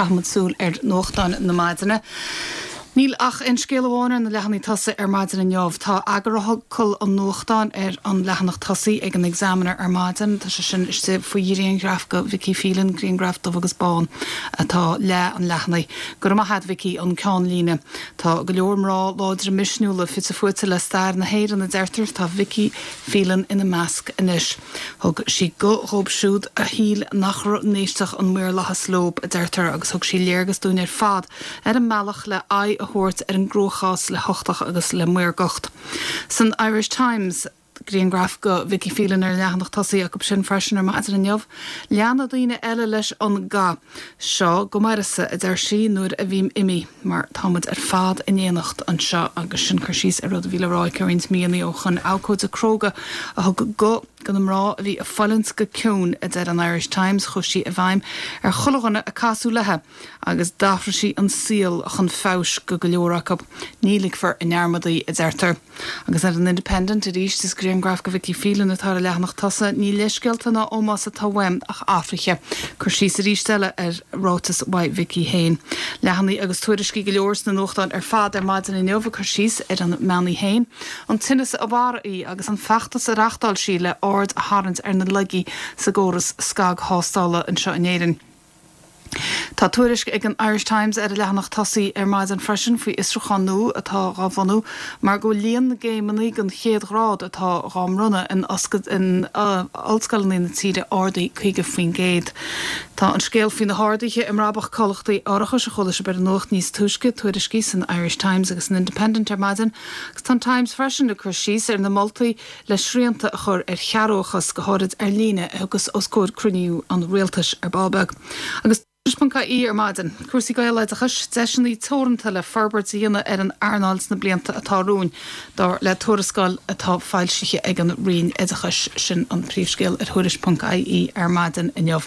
Caithfimid súil ar nuachtáin na maidine. Níl ach aon scéal amháin ar na leathanaigh tosaigh ar maidin inniu. Tá eagarfhocal an nuachtáin ar an leathanach tosaigh ag an Examiner ar maidin. Tá sé sin istigh faoi ghrianghraf de Vicky Phelan, grianghraf dubh agus bán atá leath an leathanaigh. Go raibh maith a't, Vicky, an ceannlíne. Tá go leor mná láidre misniúla fite fuaite le stair na hÉireann, a deirtear. Tá Vicky Phelan ina measc anois. Thug sí guth dhóibh siúd a shíl nach n-éistfeadh an maorlathas leob, a deirtear, agus thug sí léargas dúinn ar fad ar an mbealach le aghaidh a thabhairt ar an gcruachás le huchtach agus le maorgacht. San Irish Times, grianghraf de Vicky Phelan ar an leathanach tosaigh acu sin freisin ar maidin inniu. Leanfaidh daoine eile leis an gcath seo go m'uireasa, a deir sí, nuair a bhím imithe, mar tá muid ar fad in éineacht anseo. Agus sin cur síos ar rud a bhí le rá aici roinnt míonna ó shoin. Abhcóide cróga a thug guth do na mná a bhí ag fulaingt go ciúin, a deir an Irish Times. Chuaigh sí i bhfeidhm ar chuile dhuine a casadh léi agus d'athraigh sí an saol chun feabhais go go leor acu. Ní ligfear i ndearmad í, a deirtear. Agus ar an Independent arís, is grianghraf de Vicky Phelan atá ar an leathanach tosaigh. Ní leithscéalta ná ómós atá uaim ach athruithe. Cur síos arís eile ar ráiteas uaidh Vicky féin. Leathanaigh agus tuairiscí go leor sna nuachtáin ar fad ar maidin inniu ag cur síos ar an mbean í féin, an tinneas a mharaigh í agus an feachtas a reachtáil sí le aird a tharraingt ar na laigí sa gcóras scagthástála anseo in Éirinn. Tá tuairisc ag an Irish Times ar a leathanach tosaigh ar maidin freisin faoi fhiosrúchán nua atá dhá bhunú mar go bhfuil líon na gcéimeanna den chéad ghrád atá dhá mbronnadh in ollscoileanna na tíre ardaithe 50%. Tá an scéal faoi na harduithe i mbrabach comhlachtaí árachais a chuala sibh ar an nuacht níos túisce, tuairiscithe san Irish Times agus san Independent ar maidin agus tá an Times freisin ag cur síos ar na moltaí le srianta a chur ar chearrbhachas, go háirid ar líne, a thiocfas os comhair cruinniú an Rialtais ar ball beag. Agus Tuairisc.ie ar maidin. Cúrsaí Gaeloideachais, deiseanna teoranta le forbairt a dhéanamh ar an earnáil sna blianta atá romhainn, dar le tuarascáil atá foilsithe ag an Roinn Oideachais. Sin an príomhscéal ar Thuairisc.ie ar maidin inniu.